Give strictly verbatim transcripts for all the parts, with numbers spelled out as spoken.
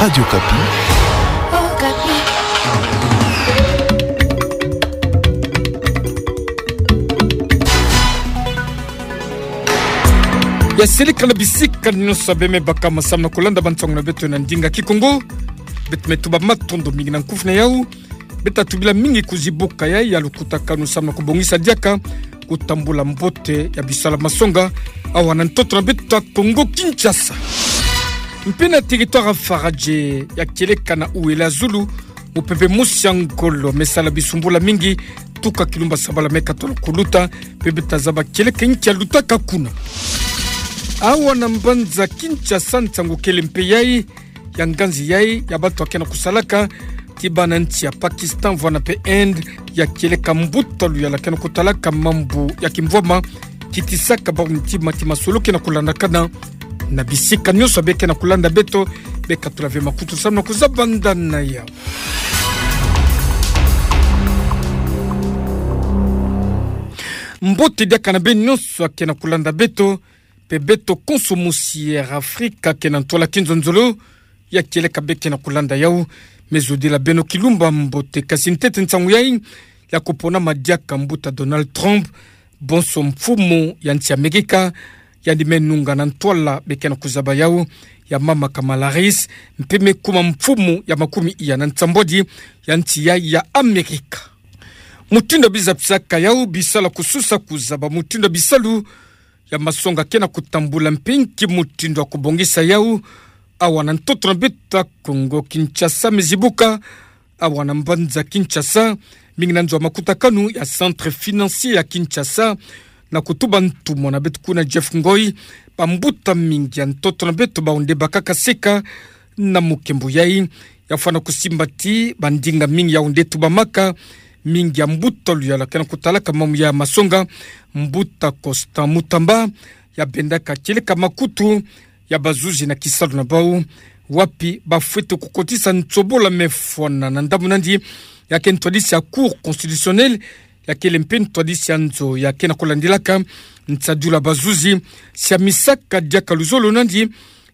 Radio Okapi. Ya seleka na bisika nyonso beme baka masamu na kulanda bansangu na beto na ndinga Kikongo. Beto me tuba matondo mingi na nkufi na yau. Beto tubila mingi kuzibuka ya, ya lukutakanu samu na kubongisa diaka kutambula mbote ya bisala masonga awa na ntoto na beto Kongo Kinshasa. Mpe na territoire Faradje ya kieleka na Ouele Zulu, mupepe mosi ya ngolo me sala bisumbula mingi, tuka kilumba sabala me katola kuluta, mpe beto zaba kieleka nki ya lutaka kuna. Awa na mbanza Kinshasa nsangu kele mpe yai, ya nganzi yai ya bato ya ke na kusalaka ti bana nsi ya Pakistan vwanda mpe Inde, ya kieleka mbuta luyala ke na kutalaka mambu ya kimvwama, kitisaka bau ntima ti masolo ke na kulandakana na bisika nyonso be ke na kulanda beto, be katula ve makutu samu na kuzabandana ya. Mbote diaka na beno nyonso ya ke na kulanda beto, mpe beto konso mosi ya Afrika ke na ntwala kinzonzolo, ya kieleka be ke na kulanda yau. Me zodila beno kilumba mbote, kasi ntete nsangu yai ya kuponama diaka mbuta Donald Trump, bonso mfumu ya nsi Amerika, yandi me nunga na ntwala be ke na kuzaba yau, ya mama Kamala Harris, mpe me kuma mfumu ya makumi iya na nsambwadi ya nsi yai ya Amerika. Mutindu ya bizapisaka yau, bisala kususa kuzaba mutindu ya bisalu ya masonga ke na kutambula mpe nki mutindu ya kubongisa yau awa na ntoto na beto Kongo Kinshasa me zibuka. Awa na mbanza Kinshasa, mingi na nzo ya makutakanu ya Centre Financier ya Kinshasa, na kutuba ntumwa na beto kuna Jeff Ngoi, bambuta mingi ya ntoto na beto bau nde bakaka seka na mukembo yai, ya fwana kusimba ti bandinga mingi yau nde tubamaka, mingi ya mbuta luyala ke na kutalaka mambu ya masonga, mbuta Constant Mutamba, ya bendaka kieleka makutu ya bazuzi na kisalu na bau, wapi ba fwete kukotisa nsobola me fwana na ndambu nandi, ya ke ntwadisi ya Cour constitutionnelle, ya kele mpe ntwadisi ya nzo ya ke na kulandilaka nsadulu ya bazuzi, siamisaka diaka luzolo nandi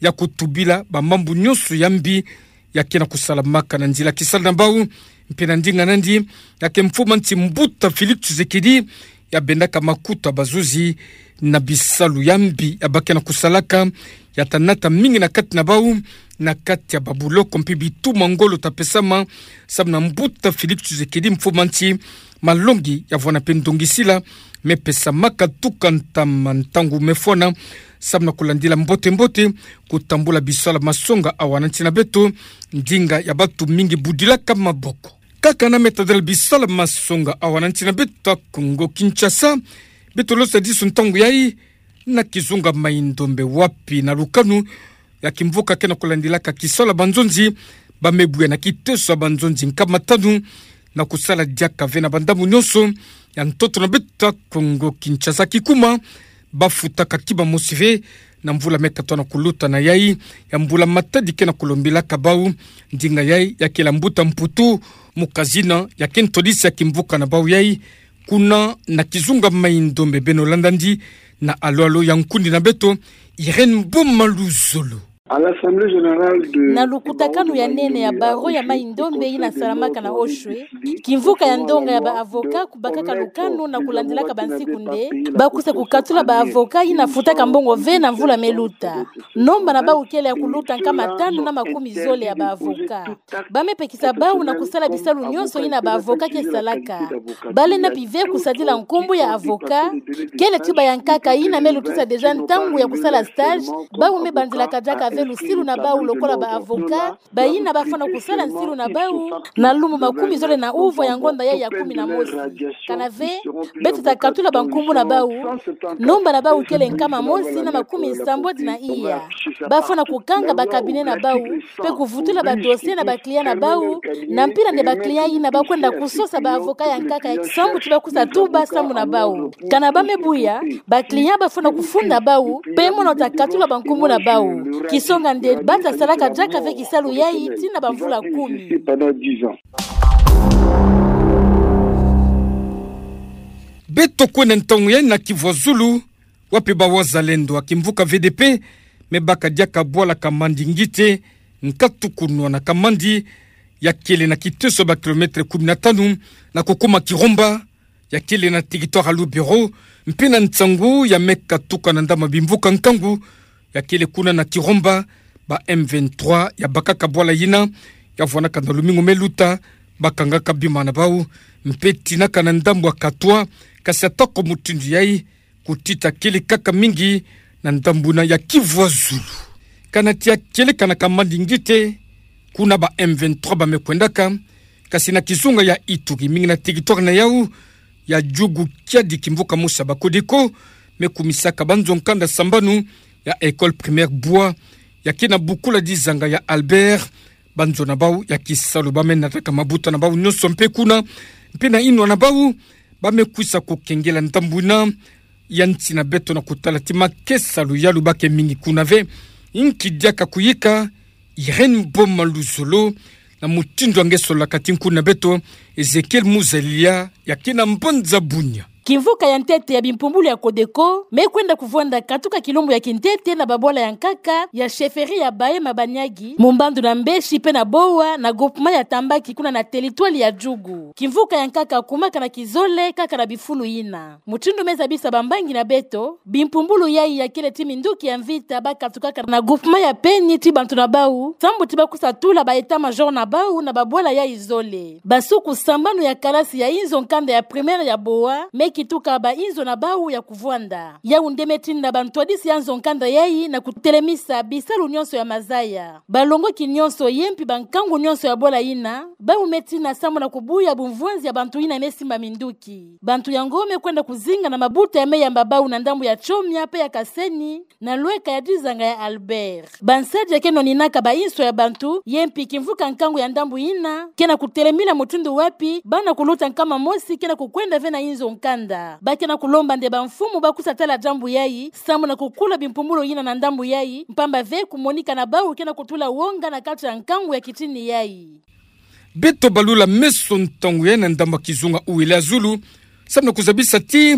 ya kutubila bamambu nyonso ya mbi ya ke na kusalamaka na nzila kisalu na bau. Mpe na ndinga nandi, ya ke mfumu ya nsi mbuta Félix Tshisekedi, ya bendaka makutu ya bazuzi na bisalu ya mbi ya ba ke na kusalaka, ya ta nata mingi na kati na bau, na kati ya babuloko mpe bituma ngolo ta pesama, samu na mbuta Félix Tshisekedi, mfumu ya nsi, malongi ya vwanda mpe ndongisila me pesamaka tuka ntama ntangu me fwana, samu na kulandila mbote-mbote kutambula bisala masonga awa na nsi na beto, ndinga ya bato mingi budilaka maboko. Kaka na me tadila bisala masonga awa na nsi na beto Kongo Kinshasa, beto losa diso ntangu yai na kizunga Mai-Ndombe, wapi na lukanu ya kimvuka ke na kulandilaka kisalu ya banzonzi, ba me buya na kiteso ya banzonzi nkama tanu, na kusala diaka ve na bandambu nyonso ya ntoto na beto Kongo Kinshasa. Kikuma, ba futaka kima mosi ve na mvula me katola kuluta na yai, ya mbula matadi ke na kulombilaka bau. Ndinga yai ya kela mbuta Mputu Mukazina, ya ke ntwadisi ya kimvuka na bau yai, kuna na kizunga Mai-Ndombe. Beno landa ndi na alo-alo ya nkundi na beto, Irène Boma Luzolo. Na lukutakanu ya nene ya barreau ya Mai-Ndombe yina salamaka na Oshwe, kimvuka ya ndonga ya ba avocat kubakaka lukanu na kulandilaka bansiku nde ba kwiza kukatula ba avocat yina futaka mbongo ve na mvula me luta. Nomba na bau kele ya kuluta nkama tanu na makumi zole ya ba avocat. Ba me pekisa bau na kusala bisalu nyonso yina ba avocat ke salaka. Ba lenda mpi ve kusadila nkumbu ya avocat. Kele tuba ya nkaka yina me lutisa déjà ntangu ya kusala stage. Bau me bandilaka diaka ve lusilu na bau lokola ba avocat, bayina ba fwana kusala nsilu na bau na lumbu makumi zole na uvwa ya ngonda yai ya kumi na mosi. Kana ve, beto ta katula bankumbu na bau. Nomba na bau kele nkama mosi na makumi sambwadi na iya. Ba fwana kukanga ba cabinet na bau, mpe kuvutula ba dossier na ba client na bau, na mpila nde ba client yina ba kwenda kusosa ba avocat ya nkaka ya kisambu ti ba kwiza tuba sambu na bau. Kana ba me buya, ba client ba fwana kufunda bau, mpe mono ta katula bankumbu na bau. Kisonga nde ba ta salaka diaka ve kisalu yai tii na bamvula kumi. Beto kwenda ntangu yai na Kivu ya Zulu, wapi ba wazalendo ya kimvuka V D P me baka diaka bwala Kamandi Ngite, nkatu kunwanaka mandi, ya kele na kiteso ba kilomètre kumi na tanu, na kukuma Kirumba, ya kele na territoire ya Lubero, mpe na nsangu ya me katuka na ndambu ya bimvuka nkangu, ya kele kuna na Kirumba, ba M vingt-trois ya bakaka bwala yina, ya vwanaka na lumingu me luta, bakangaka bima na bau, mpe tinaka na ndambu ya Katwa, kasi atako mutindu yayi, kutita kele kaka mingi na ndambu yina ya Kivu ya zulu. Kana tia kielekanaka mandi ngite, kuna ba M vingt-trois ba me kwendaka, kasi na kizunga ya Ituri, mingi na territoire na yau ya Djugu, kiadi kimvuka mosi ya ba Codeco me kumisaka banzo nkanda sambanu ya école primaire Bwa, ya ke na bukula dizanga ya Albert, banzo na bau ya kisalu ba me nataka mabuta na bau nyonso mpe kuna, mpe na inwa na bau, ba me kwisa kukengela ndambu yina ya nsi na beto na kutala ti makesalu ya lubake mingi kuna ve. Inki diaka kuyika, Irène Boma Luzolo, na mutindu ya nge solaka ti nku na beto, Ezekiel Muzalia, ya ke na mbanza Bunia. Kimvuka ya ntete ya bimpumbulu ya Codeco me kwenda kuvwanda katuka kilumbu ya kintete na babwala ya nkaka ya chefferie ya Bahema Baniagi, mu mbandu na Mbeshi mpe na Bowa, na groupement ya Tambaki, kuna na territoire ya Djugu. Kimvuka ya nkaka kumaka na kizole kaka na bifulu yina. Mutindu me zabisa bambangi na beto, bimpumbulu yayi ya kele ti minduki ya mvita ba katukaka na groupement ya Peni ti bantu na bau, sambu ti ba kwisa tula ba état-major na bau na babwala yayi zole. Basuku sambanu ya kalasi ya inzo nkanda ya primaire ya Bowa me kituka ba inzo na bau ya kuvwanda. Yau nde me tina bantwadisi ya nzo nkanda yayi na kutelemisa bisalu nyonso ya mazaya. Balongoki nyonso ye mpi bankangu nyonso ya bwala yina, bau me tina sambu na kubuya bumvwanzi ya bantu yina me simba minduki. Bantu yango me kwenda kuzinga na mabuta ya me yamba bau na ndambu ya Tchomia mpe ya Kaseni, na lweka ya dizanga ya Albert. Bansadi ya ke noninaka ba inso ya bantu, ye mpi kimvuka nkangu ya ndambu yina, ke na kutelemina mutindu wapi bana kuluta nkama mosi ke na kukwenda ve na inzo nkanda. Ba ke na kulomba nde bamfumu ba kwisa tala diambu yayi, sambu na kukula bimpumbulu yina na ndambu yayi, mpamba ve kumonika na bau ke na kutula wonga na kati ya nkangu ya kitini yayi. Beto balula meso ntangu yayi na ndambu ya kizunga Ouele-a-Zulu, sambu na kuzabisa ti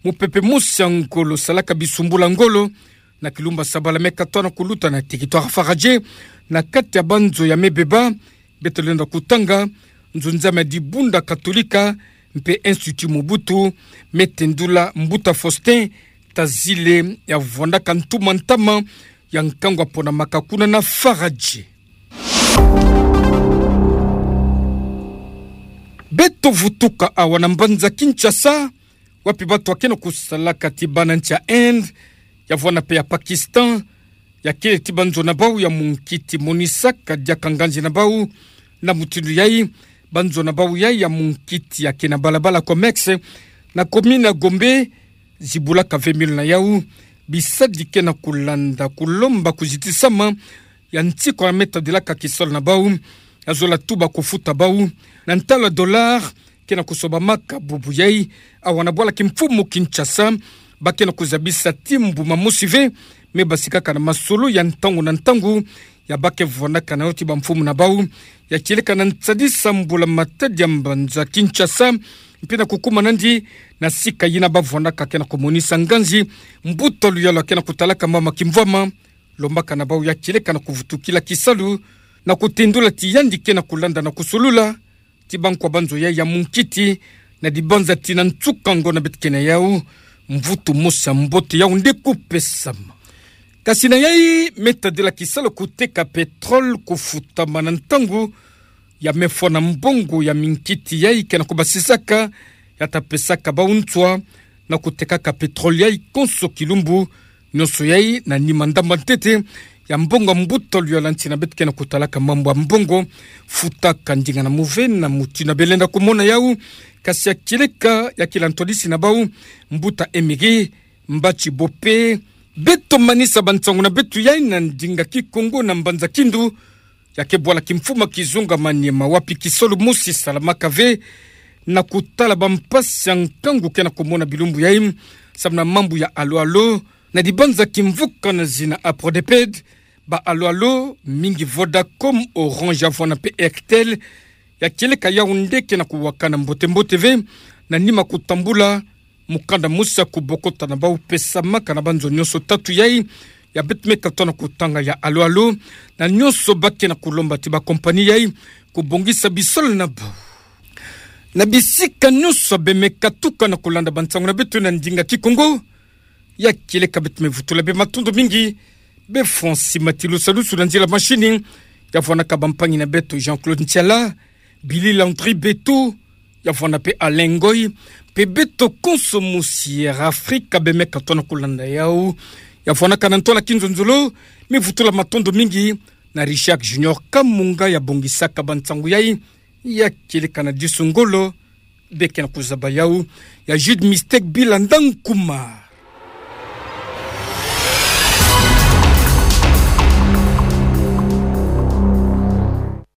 mupepe mosi ya ngolo salaka bisumbula ngolo, na kilumbu ya Sabala me katona kuluta na territoire Faradje, na kati ya banzo ya me beba, beto lenda kutanga, nzunzame ya Dibunda Katolika, mpe Institut Mobutu, me tendula Mbuta Faustin Tazile, ya vwandaka ntuma ntama ya nkangu ya ponamaka kuna na Faradje. Beto vutuka awa na mbanza Kinshasa, wapi bato ya ke na kusalaka ti bana nsi ya Inde, ya vwanda mpe ya Pakistan, ya kele ti banzo na bau ya munkiti monisaka diaka nganzi na bau. Na mutindu yayi, banzo na bau yayi ya munkiti ya ke na balabala Comex, na commune ya Gombe, zibulaka ve milo na yau, bisadi ke na kulanda kulomba kuzitisama ya ntikwa ya me tadilaka kisalu na bau, ya zola tuba kufuta bau na ntalu ya dollar, ke na kusobamaka bubu yayi awa na bwala kimfumu Kinshasa. Ba ke na kuzabisa ti mbuma mosi ve me basikaka na masolo ya ntangu na ntangu ya ba ke vwandaka na yo ti bamfumu na bau, ya kieleka na nsadisa mbula-matadi ya mbanza Kinshasa, mpe na kukuma nandi na sika yina ba vwandaka ke na kumonisa nganzi mbuta luyalu ya ke na kutalaka mama kimvwama. Lombaka na bau ya kieleka na kuvutukila kisalu, na kutendula ti yandi ke na kulanda na kusolula ti bankwa banzo yayi ya munkiti, na dibanza ti na nsuka ngo na beto ke na yau, mvutu mosi ya mbote yau nde kupesama. Kasi na yayi, me tadila kisalu kuteka pétrole kufutama na ntangu ya me fwa na mbongo ya minkiti yayi ke na kubasisaka, ya ta pesaka bau nswa na kutekaka pétrole yayi konso kilumbu. Nyonso yayi na nima ndamba ntete ya mbongo ya mbuta luyalu ya nsi na beto ke na kutalaka mambu ya mbongo, futa ka ndinga na muve na muti na belenda kumona yau. Kasi ya kieleka ya kila ntwadisi na bau, mbuta Emery Mbatshi Bope. Beto manisa bansangu na beto yayi na ndinga Kikongo na mbanza Kindu, ya ke bwala kimfumu ya kizunga Maniema, wapi kisalu mosi salamaka ve na kutala bampasi ya nkangu ke na kumona bilumbu yayi, samu na mambu ya alo-alo na dibanza kimvuka na zina Aprodeped. Ba alo-alo mingi Vodacom, Orange, Avana mpe Airtel, ya kieleka yau nde ke na kuwakana mbote-mbote ve na nima kutambula mukanda mosi ya kubokota na bau pesamaka na banzo nyonso tatu yayi ya beto me katoa na kotanga ya alo-alo, na nyonso ba ke na kolomba ti ba kompani yai, kobongisa bisol na bau. Na bisika nyonso be me katuka na kolanda bansango na beto na ndinga Kikongo, ya kieleka beto me vutula bie matondo mingi, be Francis Matilusa Lusu na nzila mashini, ya vwanaka bampangi na beto Jean-Claude Ntiala, Billy Landry Beto, ya vwana pe Alain Ngoy, pe beto konso mosi Air Africa be me katoa na kolanda yau, ya vwanaka na ntwala Kinzonzolo, me vutula matondo mingi, na Richard Junior Kamunga ya bongisaka bansango yai, ya kieleka na disu ngolo, be ke na kozaba yau, ya Jude Mistake Bila Ndankuma.